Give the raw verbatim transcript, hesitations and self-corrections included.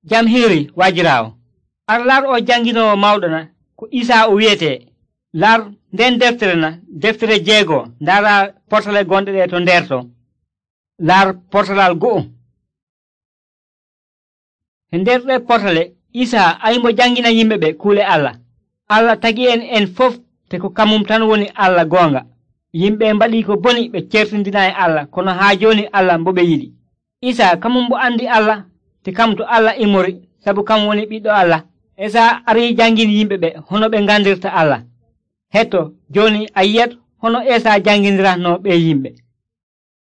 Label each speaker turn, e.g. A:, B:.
A: Jam hiiri wajiraawo. Ar lar o janginoowo mawɗo na ko Isaa o wiyetee. Lar nden deftere na deftere jeego ndaara portale gonɗe ɗe to nder to. Lar portalal go'o. E nder ɗe portale Isaa aymo jangina yimɓe ɓe kuule Allah. Allah tagi en en fof te ko kamum tan woni Allah goonga. Yimɓe mbaɗii ko boni ɓe certindinaayi Allah kono haa jooni Allah mbo ɓe yiɗi. Isaa kamum mbo andi Allah te kam to Allah immori sabu kam woni ɓiɗɗo Allah. Isaa arii jangini yimɓe ɓe hono ɓe ngandirta Allah. Hetto jooni a yiyat hono Isaa janginiratno ɓe yimɓe.